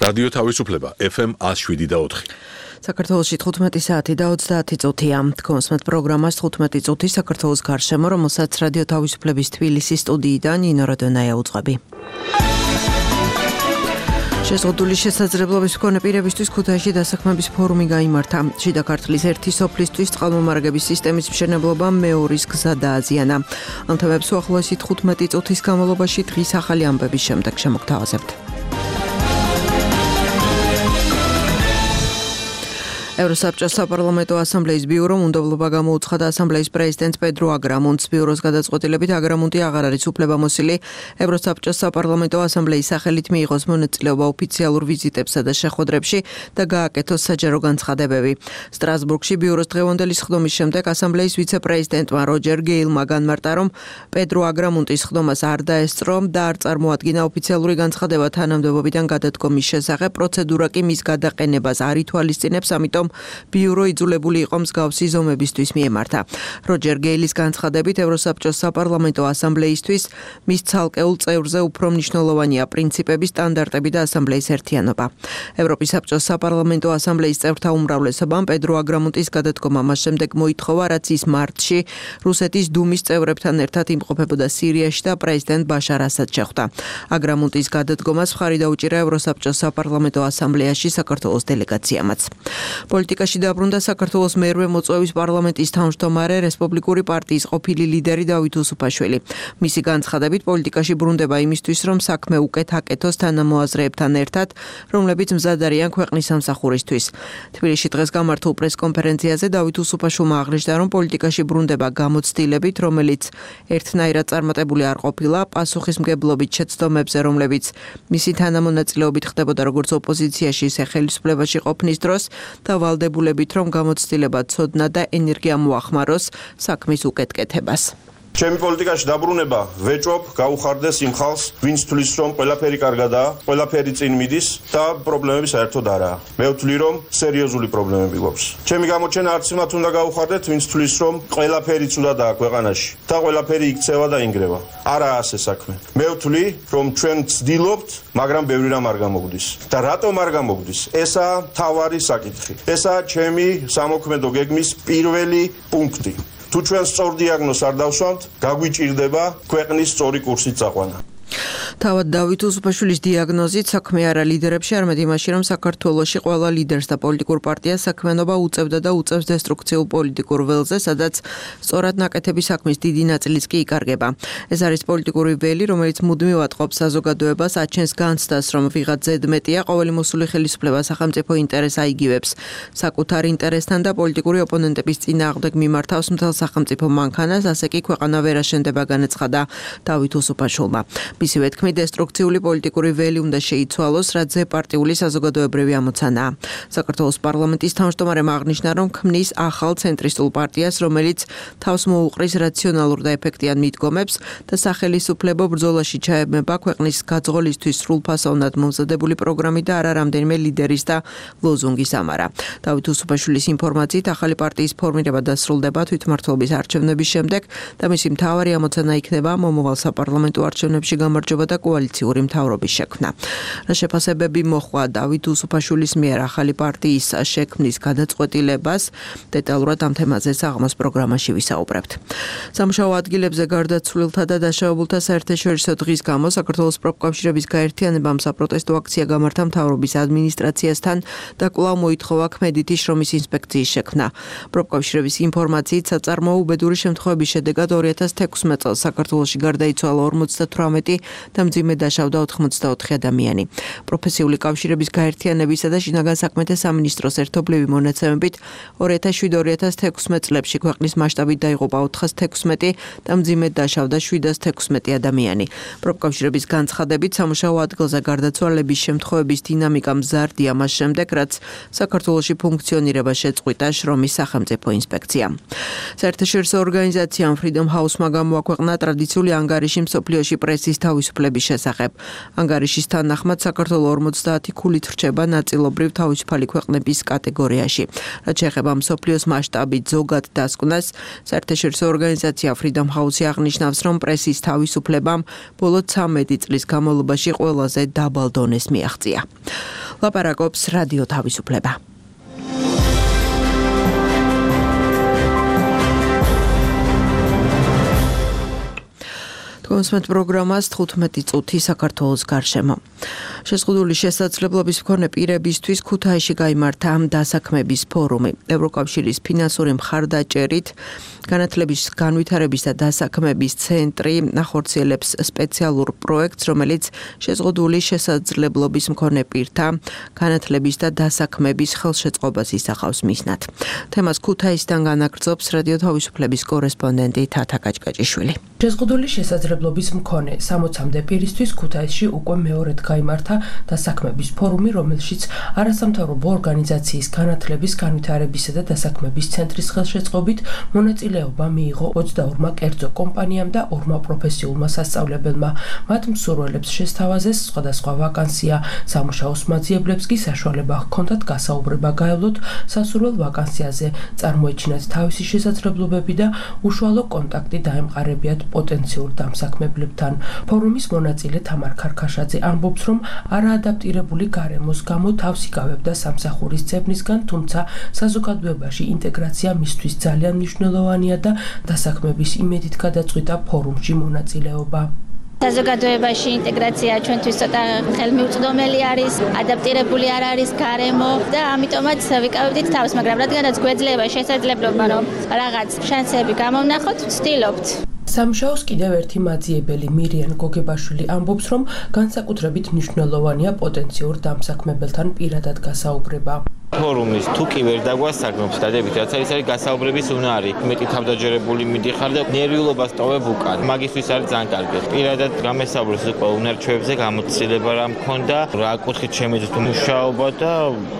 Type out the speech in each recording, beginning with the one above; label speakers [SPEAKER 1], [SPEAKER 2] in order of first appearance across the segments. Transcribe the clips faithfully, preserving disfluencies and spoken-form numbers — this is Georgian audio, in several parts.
[SPEAKER 1] რადიო თავისუფლება ეფ ემ one oh seven და four.
[SPEAKER 2] საქართველოში თხუთმეტი საათი და ოცდაათი წუთია. Თქვენს პროგრამას თხუთმეტი წუთი საქართველოს გარშემო, რომელსაც რადიო თავისუფლების თბილისის სტუდიიდან ნინო როდონაია უძღვები. შეზღუდული შესაძლებლობის მქონე პირებისთვის ქუთაისში დასაქმების ფორუმი გაიმართა. შიდა ქართლის ერთი სოფლისთვის წყალმომარაგების სისტემის მშენებლობა მეორის გზა დააზიანა. ამ თემებს უახლოესი თხუთმეტი წუთის განმავლობაში დღის ახალი ამბების შემდეგ შემოგთავაზებთ. ევროსაბჭოს საპარლამენტო ასამბლეის ბიურომ უნდობლობა გამოუცხადა ასამბლეის პრეზიდენტ პედრო აგრამუნტს. ბიუროს გადაწყვეტილებით აგრამუნტი აღარ არის უფლებამოსილი ევროსაბჭოს საპარლამენტო ასამბლეის სახელით მიიღოს მონაწილეობა ოფიციალურ ვიზიტებსა და შეხვედრებში და გააკეთოს საჯარო განცხადებები. სტრასბურგში ბიუროს დღევანდელი სხდომის შემდეგ ასამბლეის ვიცე-პრეზიდენტმა როჯერ გეილმა განმარტა, რომ პედრო აგრამუნტის სხდომას არ დაესწრო და არ წარმოადგინა ოფიციალური განცხადება თანამდებობიდან გადადგომის შესახებ. პროცედურა კი მის გადაყენებას არ ითვალისწინებს, ამიტომ ბიურო იძულებული იყო მსგავსი ზომებისთვის მიემართა. როჯერ გეილის განცხადებით ევროსაბჭოს საპარლამენტო ასამბლეისთვის მის ცალკეულ წევრზე უფრო მნიშვნელოვანია პრინციპების, სტანდარტები და ასამბლეის ერთიანობა. ევროპის საბჭოს საპარლამენტო ასამბლეის წევრთა უმრავლესობამ პედრო აგრამუნტის გადადგომა მას შემდეგ მოითხოვა, რაც ის მარტში რუსეთის დუმის წევრებთან ერთად იმყოფებოდა სირიაში და პრეზიდენტ ბაშარ ასადს შეხვდა. აგრამუნტის გადადგომას მხარი დაუჭირა ევროსაბჭოს საპარლამენტო ასამბლეაში საქართველოს დელეგაციამაც. პოლიტიკაში დაბრუნდა საქართველოს მერვე მოწვევის პარლამენტის თავმჯდომარე რესპუბლიკური პარტიის ყოფილი ლიდერი დავით უსუფაშვილი. მისი განცხადებით პოლიტიკაში ბრუნდება იმისთვის, რომ საქმე უკეთ აკეთოს თანამოაზრეებთან ერთად, რომლებიც მზად არიან ქვეყნის სამსახურისთვის. თბილისში დღეს გამართულ პრესკონფერენციაზე დავით უსუფაშვილმა აღნიშნა, რომ პოლიტიკაში ბრუნდება გამოცდილებით, რომელიც ერთნაირად წარმატებული არ ყოფილა პასუხისმგებლობით შეცდომებზე, რომლებიც მისი თანამონაწილეობით ხდებოდა როგორც ოპოზიციაში, ისე ხელისუფლებაში ყოფნის დროს და ვალდებულებით, რომ გამოცდილება ცოდნა და ენერგია მოახმაროს საქმის უკეთკეთებას.
[SPEAKER 3] ჩემი პოლიტიკაში დაბრუნება ვეჭობ, გაუხარდეს იმ ხალხს, ვინც თვლის, რომ ყველაფერი კარგადაა, ყველაფერი წინ მიდის და პრობლემები საერთოდ არაა. მე ვთვლი, რომ სერიოზული პრობლემები გვაქვს. ჩემი გამოჩენა არც იმათ უნდა გაუხარდეთ, ვინც თვლის, რომ ყველაფერი ცუდადაა ქვეყანაში და ყველაფერი იქცევა და ინგრევა. არაა ასე საქმე. მე ვთვლი, რომ ჩვენ ვცდილობთ, მაგრამ ბევრი რამ არ გამოგვდის. და რატომ არ გამოგვდის? ესაა მთავარი საკითხი. ესაა ჩემი სამოქმედო გეგმის პირველი პუნქტი. თუ ჩვენ სწორ დიაგნოზს არ დავსვამთ, გაგვიჭირდება ქვეყნის სწორი კურსით წაყვანა.
[SPEAKER 2] თავად დავით უსუფაშვილის დიაგნოზით საქმე არა ლიდერებში, არამედ იმაში, რომ საქართველოში ყველა ლიდერს და პოლიტიკურ პარტიას საქმიანობა უწევდა და უწევს დესტრუქციულ პოლიტიკურ ველზე, სადაც სწორად ნაკეთების საქმის დიდი ნაწილიც კი იკარგება. ეს არის პოლიტიკური ველი, რომელიც მუდმივად ყოფს საზოგადოებას, აჩენს განცდას, რომ ვიღაც ზედმეტია, ყოველი მოსული ხელისუფლება სახელმწიფო ინტერესს აიგივებს საკუთარ ინტერესთან და პოლიტიკური ოპონენტების წინააღმდეგ მიმართავს მთელ სახელმწიფო მანქანას, ასე კი ქვეყანა ვერ აშენდება, განაცხადა დავით უსუფაშვილმა. მისივე თქმით, დესტრუქციული პოლიტიკური ველი უნდა შეიცვალოს, რაც ზეპარტიული საზოგადოებრივი ამოცანაა. საქართველოს პარლამენტის თავმჯდომარემ აღნიშნა, რომ ქმნის ახალ ცენტრისტულ პარტიას, რომელიც თავს მოუყრის რაციონალურ და ეფექტიან მიდგომებს და სახელისუფლებო ბრძოლაში ჩაებმება ქვეყნის გაძღოლისთვის სრულფასოვნად მომზადებული პროგრამი და არა რამდენიმე ლიდერის და ლოზუნგის ამარა. დავით უსუფაშვილის ინფორმაციით, ახალი პარტიის ფორმირება დასრულდება თვითმმართველობის არჩევნების შემდეგ და მისი მთავარი ამოცანა იქნება მომავალ საპარლამენტო არჩევნებში გამარჯვება და კოალიციური მთავრობის შექმნა. რა შეფასებები მოჰყვა დავით უსუფაშვილის მიერ ახალი პარტიის შექმნის გადაწყვეტილებას, დეტალურად ამ თემაზე საღამოს პროგრამაში ვისაუბრებთ. სამუშაო ადგილებზე გარდაცვლილთა და დაშავებულთა საერთაშორისო დღის გამო საქართველოს პროფკავშირების გაერთიანებამ საპროტესტო აქცია გამართა მთავრობის ადმინისტრაციასთან და კვლავ მოითხოვა ქმედითი შრომის ინსპექციის შექმნა. პროფკავშირების ინფორმაციით, საწარმოო უბედური შემთხვევების შედეგად ორი ათას თექვსმეტ წელს საქართველოში გარდაიცვალა ორმოცდათვრამეტი და მძიმე დაშავდა ოცდაოთხი ადამიანი. პროფესიული კავშირების გაერთიანებისა და შინაგან საქმეთა სამინისტროს ერთობლივი მონაცემებით ორი ათას შვიდ ორი ათას თექვსმეტ წლებში ქვეყნის მასშტაბით დაიღუპა ოთხას თექვსმეტი და მძიმედ დაშავდა შვიდას თექვსმეტი ადამიანი. პროფკავშირების განცხადებით, სამუშაო ადგილზე გარდაცვალების შემთხვევების დინამიკა მზარდია მას შემდეგ, რაც საქართველოში ფუნქციონირება შეწყვიტა შრომის სახელმწიფო ინსპექცია. საერთაშორისო ორგანიზაციამ Freedom House-მა გამოაქვეყნა ტრადიციული ანგარიში მსოფლიოში პრესის თავისუფლების განვითარების შესახებ. ანგარიშის თანახმად საქართველოს ორმოცდაათი ქულით რჩება ნაწილობრივ თავისუფალი ქვეყნების კატეგორიაში. რაც შეეხება მსოფლიოს მასშტაბით ზოგად დასკვნას, საერთაშორისო ორგანიზაცია Freedom House აღნიშნავს, რომ პრესის თავისუფლებამ ბოლო ცამეტი წლის განმავლობაში ყველაზე დაბალ დონეს მიაღწია. ლაპარაკობს რადიო თავისუფლება. კონსმეთ პროგრამას თხუთმეტი წუთი საქართველოს გარშემო. შეზღუდული შესაძლებლობის მქონე პირებისთვის ქუთაისში გაიმართა დასაქმების ფორუმი. ევროკავშირის ფინანსური მხარდაჭერით განათლების განვითარების და დასაქმების ცენტრი ახორციელებს სპეციალურ პროექტს, რომელიც შეზღუდული შესაძლებლობის მქონე პირთა განათლების და დასაქმების ხელშეწყობას ისახავს მიზნად. თემას ქუთაისიდან განაგრძობს რადიო თავისუფლების კორესპონდენტი თათა კაჭკაჭიშვილი.
[SPEAKER 4] შეზღუდული შესაძლებლობის მქონე სამოცამდე პირისთვის ქუთაისში უკვე მეორედ გაიმართა დასაქმების ფორუმი, რომელშიც არასამთავრობო ორგანიზაციის განათლების, განვითარებისა და დასაქმების ცენტრის ხელშეწყობით მონაწილეობა მიიღო ოცდაორმა კერძო კომპანიამ და ორმა პროფესიულმა სასწავლებელმა. მათ მსურველებს შესთავაზეს სხვადასხვა ვაკანსია, სამუშაოს მაძიებლებს კი საშუალება ჰქონდათ გასაუბრება გაევლოთ სასურველ ვაკანსიაზე, წარმოეჩინათ თავისი შესაძლებლობები და უშუალო კონტაქტი დაემყარებიათ პოტენციურ დამსაქმებლებთან. ფორუმის მონაწილე თამარ ქარქაშაძე ამბობს, რომ არაადაპტირებული გარემოს გამო თავს იკავებდა სამსახურის ძებნისგან, თუმცა საზოგადოებაში ინტეგრაცია მისთვის ძალიან მნიშვნელოვანია და დასაქმების იმედით გადაწყვიტა ფორუმში მონაწილეობა.
[SPEAKER 5] საზოგადოებაში ინტეგრაცია ჩვენთვის ცოტა ხელმიუწვდომელი არის, ადაპტირებული არ არის გარემო და ამიტომაც ვიკავებდით თავს, მაგრამ რადგანაც გვეძლება შესაძლებლობა, რომ რაღაც შანსები გამოვნახოთ, ვცდილობთ.
[SPEAKER 4] სამუშაოს კიდევ ერთი მაძიებელი მირიან გოგებაშვილი ამბობს, რომ განსაკუთრებით მნიშვნელოვანია პოტენციურ დამსაქმებელთან პირადად გასაუბრება.
[SPEAKER 6] ფორუმის თუ კი ვერ დაგვასაგნობს დადებით, რაც არის არის გასაუბრების უნარი. მეტი თავდაჯერებული მიდიხარ და ნერვიულობას ტოვებ უკან. მაგისთვის არის ძალიან კარგი. პირადად გამესაუბროს უკვე უნარჩვებზე, გამოცდილება რა მქონდა, რა კუთხით შემეძლო მუშაობა და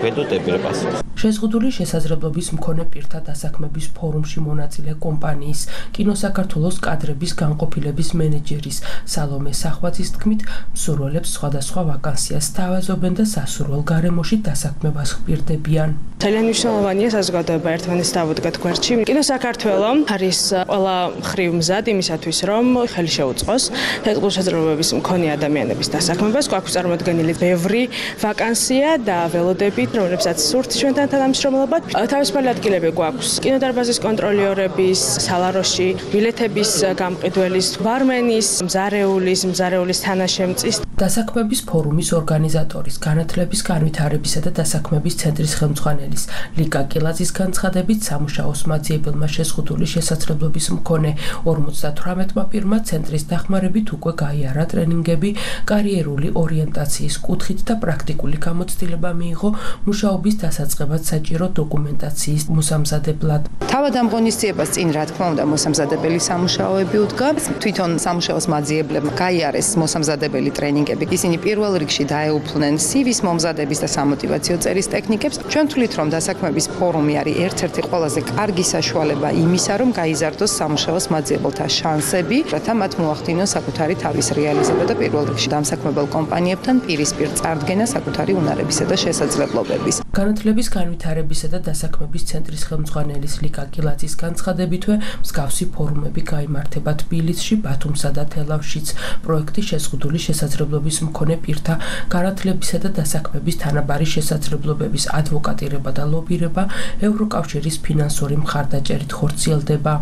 [SPEAKER 6] ვედოტები რა პასუხს.
[SPEAKER 4] შეზღუდული შესაძლებლობის მქონე პირთა დასაქმების ფორუმში მონაწილე კომპანიის კინო საქართველოს კადრების განყოფილების მენეჯერის სალომე სახვაძის თქმით, მსურველებს სხვადასხვა ვაკანსიას სთავაზობენ და სასურველ გარემოში დასაქმებას ხპირდებიან.
[SPEAKER 7] ძალიან მნიშვნელოვანია საზოგადოება ერთმანეთს დავუდგათ გვერდში. კინო საქართველო არის ყველა მხრივ მზად იმისათვის, რომ ხელი შეუწყოს შეზღუდული შესაძლებლობების მქონე ადამიანების დასაქმებას. გვაქვს წარმოდგენილი ბევრი ვაკანსია და ველოდებით, რომლებსაც სურთ ჩვენთან თანამშრომლობად. თავისუფალი ადგილები გვაქვს კინოდარბაზის კონტროლიორების, სალაროში, ბილეთების გამყიდველის, ბარმენის, მზარეულის, მზარეულის თანაშემწის.
[SPEAKER 4] დასაქმების ფორუმის ორგანიზატორის, განათლების, განვითარებისა და დასაქმების ცენტრის ხელმძღვანელის ლიკა კილაძის განცხადებით, სამუშაოს მაძიებელმა შეზღუდული შესაძლებლობის მქონე ორმოცდათვრამეტმა პირმა ცენტრის დახმარებით უკვე გაიარა ტრენინგები კარიერული ორიენტაციის კუთხით და პრაქტიკული გამოცდილება მიიღო მუშაობის დასაწყებად საჭირო დოკუმენტაციის მოსამზადებლად.
[SPEAKER 8] თავად ამ ღონისძიებას წინ რა თქმა უნდა მოსამზადებელი სამუშაოები უდგა. თვითონ სამუშაოს მაძიებლებმა გაიარეს მოსამზადებელი ტრენინგები. ისინი პირველ რიგში დაეუფლნენ სივის მომზადების და სამოტივაციო წერის ტექნიკებს. ჩვენ ვთვლით, რომ დასაქმების ფორუმი არის ერთ-ერთი ყველაზე კარგი საშუალება იმისა, რომ გაიზარდოს სამუშაოს მაძიებელთა შანსები, რათა მათ მოახდინოს საკუთარი თავის რეალიზება და პირველ რიგში დამსაქმებელ კომპანიებთან პირისპირ წარდგენა საკუთარი უნარებისა და შესაძლებლობების.
[SPEAKER 4] განათლების, განვითარებისა და დასაქმების ცენტრის ხელმძღვანელის ლიკა კილაძის განცხადებითვე მსგავსი ფორუმები გაიმართება თბილისში, ბათუმსა და თელავშიც. პროექტი შეზღუდული შესაძლებლობის მქონე პირთა განათლებისა და დასაქმების თანაბარი შესაძლებლობების ადვოკატირება და ლობირება ევროკავშირის ფინანსური მხარდაჭერით ხორციელდება.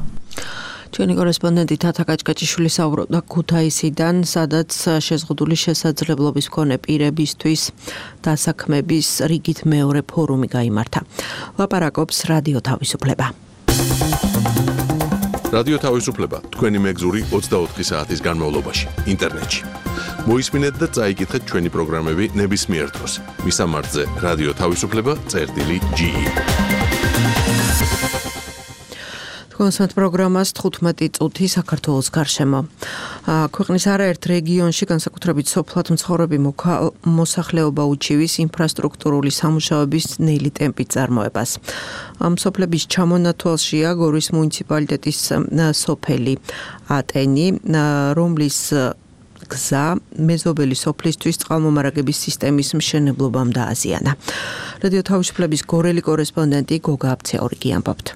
[SPEAKER 2] ჩვენი კორესპონდენტი თათა კაჭკაჭიშვილი საუბრობდა ქუთაისიდან, სადაც შეზღუდული შესაძლებლობის მქონე პირებისთვის დასაქმების რიგით მეორე ფორუმი გაიმართა. ლაპარაკობს რადიო თავისუფლება.
[SPEAKER 1] რადიო თავისუფლება თქვენი მეგზური ოცდაოთხი საათის განმავლობაში ინტერნეტში. მოისმინეთ და წაიკითხეთ ჩვენი პროგრამები ნებისმიერ დროს. მისამართზე რადიო თავისუფლება წერტილი ჯი ი.
[SPEAKER 2] კონსმეთ პროგრამას თხუთმეტი წუთი საქართველოს გარშემო. ქვეყნის არაერთ რეგიონში განსაკუთრებით სოფლად მცხოვრები მოსახლეობა უჩივის ინფრასტრუქტურული სამუშაოების ნელი ტემპით წარმოებას. სოფლების ჩამონათვალშია გორის მუნიციპალიტეტის სოფელი ატენი, რომლის გზა მეზობელი სოფლისთვის წყალმომარაგების სისტემის მშენებლობამ დააზიანა. რადიო თავისუფლების გორელი კორესპონდენტი გოგა აბცეორიგი ამბობთ.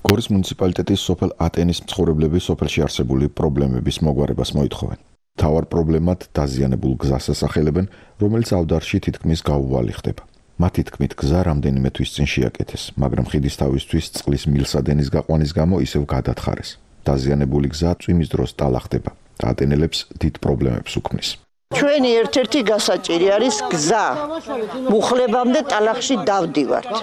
[SPEAKER 9] გორის მუნიციპალიტეტის სოფელ ატენის მცხოვრებლები სოფელში არსებული პრობლემების მოგვარებას მოითხოვენ. თავარ პრობლემად დაზიანებულ გზას ასახელებენ, რომელიც ავდარში თითქმის გაუვალი ხდება. მათი თქმით, გზა რამდენიმე თვის წინ შეაკეთეს, მაგრამ ხიდის თავისთვის წყლის მილსადენის გაყვანის გამო ისევ გადათხარეს. დაზიანებული გზა წვიმის დროს ტალა ხდება და ატენელებს დიდ პრობლემებს უქმნის.
[SPEAKER 10] ჩვენი ერთ-ერთი გასაჭირი არის გზა. მუხლებამდე ტალახში დავდივართ.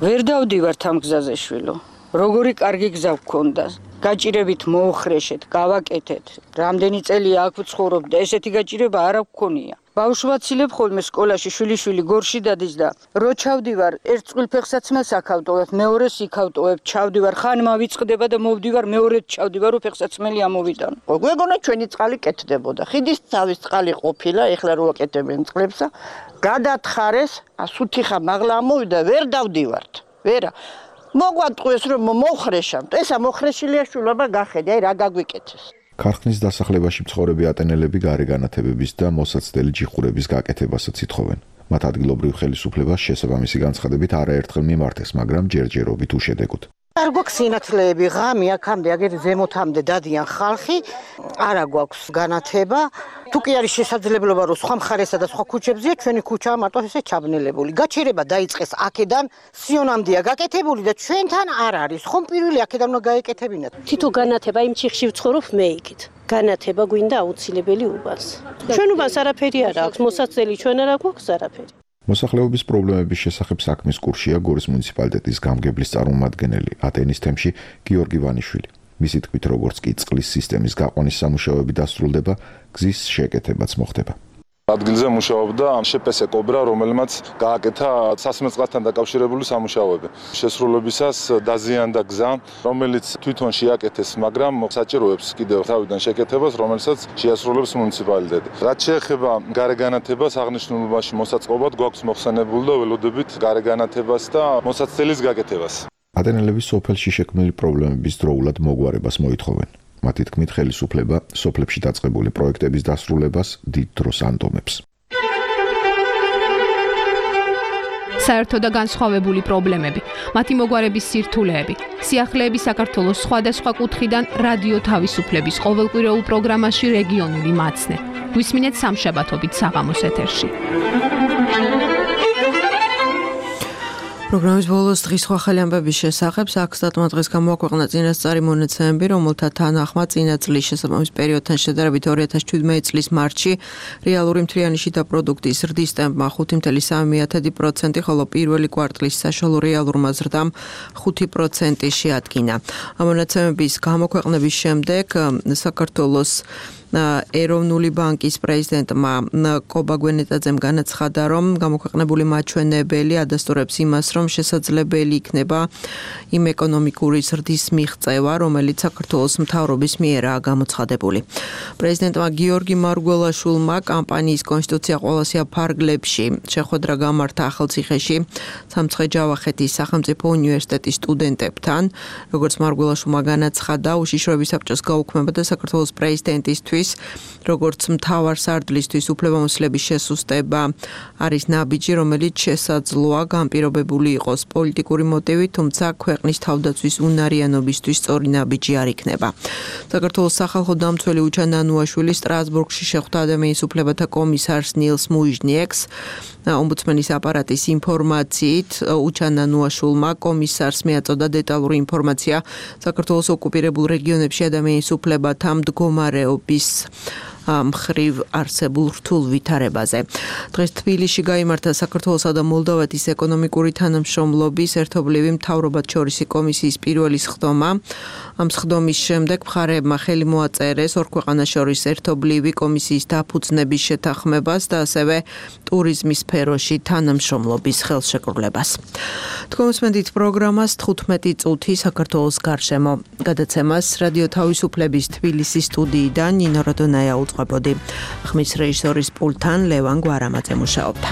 [SPEAKER 11] ვერ დავდივართ ამ გზაზე შვილო. როგორი კარგი გზა გქონდა. გაჭირებით მოუხრეშეთ, გავაკეთეთ. რამდენი წელია აქ ვცხოვრობ და ესეთი გაჭირება არ გქონია. ბავშვაცილებ ხოლმე სკოლაში შვილიშვილი გორში დადის და რო ჩავდივარ, ერთ წყვილფეხსაცმელს აქავტოვებ, მეორეს იქავტოვებ, ჩავდივარ, ხან მავიწყდება და მოვდივარ, მეორედ ჩავდივარ, რო ფეხსაცმელი ამოვიტან.
[SPEAKER 10] გვეგონა ჩვენი წყალი კეთდებოდა. ხიდის თავის წყალი ყოფილა, ეხლა რო აკეთებენ წყლებსა, გადათხარეს, ასუთიხა მაღლა ამოვიდა, ვერ დავდივართ. ვერა მოგვატყუეს რომ მოხრეშავთ. ესა მოხრეშილია შულობა გახედე, აი რა გაგვიკეთეს.
[SPEAKER 9] ქარხნის დასახლებაში მცხოვრები ატენელები გარე განათებების და მოსაცდელი ჯიხურების გაკეთებასაც ითხოვენ. მათ ადგილობრივ ხელისუფლებას შესაბამისი განცხადებით არაერთხელ მიმართეს, მაგრამ ჯერჯერობით უშედეგოდ.
[SPEAKER 10] არ გვაქვს სინათლეები, ღამე აქამდე, აგერ ზემოთამდე დადიან ხალხი, არა გვაქვს განათება. თუ კი არის შესაძლებლობა, რომ სხვა მხარესა და სხვა ქუჩებზეა, ჩვენი ქუჩაა მარტო ესე ჩაბნელებული. გაჩერება დაიწყეს აქედან, სიონამდეა გაკეთებული და ჩვენთან არ არის. ხომ პირველი აქედან უნდა გაეკეთებინათ.
[SPEAKER 12] თითო განათება იმ ჩიხში ვცხოვრობ მე იქით. განათება გვინდა აუცილებელი უბანს. ჩვენ უბანს არაფერი არ აქვს, მოსაცდელი ჩვენ არ გვაქვს არაფერი.
[SPEAKER 9] მოსახლეობის პრობლემების შესახებ საქმის კურსია გორის მუნიციპალიტეტის გამგებლის წარმომადგენელი ატენის თემში გიორგი ვანიშვილი. მისი თქმით, როგორც კი წყლის სისტემის გაყვანის სამუშაოები დასრულდება, გზის შეკეთებაც მოხდება.
[SPEAKER 13] ადგილზე მუშაობდა შეპესე კობრა, რომელმაც გააკეთა სასმელ წყალთან დაკავშირებული სამუშაოები. შესრულებისას დაზიანდა გზა, რომელიც თვითონ შეაკეთეს, მაგრამ საჭიროებს კიდევ თავიდან შეკეთებას, რომელსაც შეასრულებს მუნიციპალიტეტი. რაც შეეხება გარე განათებას, აღნიშნულობაში მოსაწყობად გვაქვს მოხსენებული და ველოდებით გარე განათებას და მოსაცდელის გაკეთებას.
[SPEAKER 9] ატენელების სოფელში შექმნილი პრობლემების დროულად მოგვარებას მოითხოვენ. მათი თქმით, ხელისუფლება სოფლებში დაწყებული პროექტების დასრულებას დიდ დროს ანდომებს.
[SPEAKER 14] საერთო და განსხვავებული პრობლემები, მათი მოგვარების სირთულეები, სიახლეები საქართველოს სხვადასხვა კუთხიდან რადიო თავისუფლების ყოველკვირეულ პროგრამაში რეგიონული მაცნე. გვისმინეთ სამშაბათობით საღამოს ეთერში.
[SPEAKER 2] პროგრამის ბოლოს დღის სხვა ხელი ამბების შესახებ საქსტატმა დღეს გამოაქვეყნა წინასწარი მონაცემები, რომელთა თანახმად წინა წლის შესაბამის პერიოდთან შედარებით ორი ათას შვიდმეტი წლის მარტში რეალური მთლიანი შიდა პროდუქტის ზრდის ტემპმა ხუთი კoma სამი პროცენტი, ხოლო პირველი კვარტლის საშუალო რეალურმა ზრდამ ხუთი პროცენტი შეადგინა. ამ მონაცემების გამოქვეყნების შემდეგ საქართველოს ეროვნული ბანკის პრეზიდენტმა კობა გვენეტაძემ განაცხადა, რომ გამოქვეყნებული მაჩვენებელი ადასტურებს იმას, რომ შესაძლებელი იქნება იმ ეკონომიკური ზრდის მიღწევა, რომელიც საქართველოს მთავრობის მიერაა გამოცხადებული. პრეზიდენტმა გიორგი მარგველაშვილმა კამპანიის კონსტიტუცია ყველასია ფარგლებში შეხვედრა გამართა ახალციხეში სამცხე-ჯავახეთის სახელმწიფო უნივერსიტეტის სტუდენტებთან. როგორც მარგველაშვილმა განაცხადა, უშიშროების საბჭოს გაუქმება და საქართველოს პრეზიდენტისთვის როგორც მთავარ სარდლისთვის უფლებამოსილების შესუსტება არის ნაბიჯი, რომელიც შესაძლოა განპირობებული იყოს პოლიტიკური მოტივით, თუმცა ქვეყნის თავდაცვის უნარიანობისთვის სწორი ნაბიჯი არ იქნება. საქართველოს სახალხო დამცველი უჩა ნანუაშვილი სტრასბურგში შეხვდა ადამიანის უფლებათა კომისარს ნილს მუიჟნიეკს. ომბუდსმენის აპარატის ინფორმაციით უჩა ნანუაშვილმა კომისარს მიაწოდა დეტალური ინფორმაცია საქართველოს ოკუპირებულ რეგიონებში ადამიანის უფლებათა მდგომარეობის მხრივ არსებულ რთულ ვითარებაზე. დღეს თბილისში გაიმართა საქართველოსა და მოლდოვეთის ეკონომიკური თანამშრომლობის ერთობლივი მთავრობათშორისი კომისიის პირველი სხდომა. ამ სხდომის შემდეგ მხარეებმა ხელი მოაწერეს ორ ქვეყანას შორის ერთობლივი კომისიის დაფუძნების შეთანხმებას და ასევე ტურიზმის სფეროში თანამშრომლობის ხელშეკრულებას. თქვენსმენდით პროგრამას თხუთმეტი წუთი საქართველოს გარშემო. გადაცემას რადიო თავისუფლების თბილისის სტუდიიდან ნინო როდონაია უწყებოდი. ხმის რეჟისორის პულტთან ლევან გვარამაძე მუშაობდა.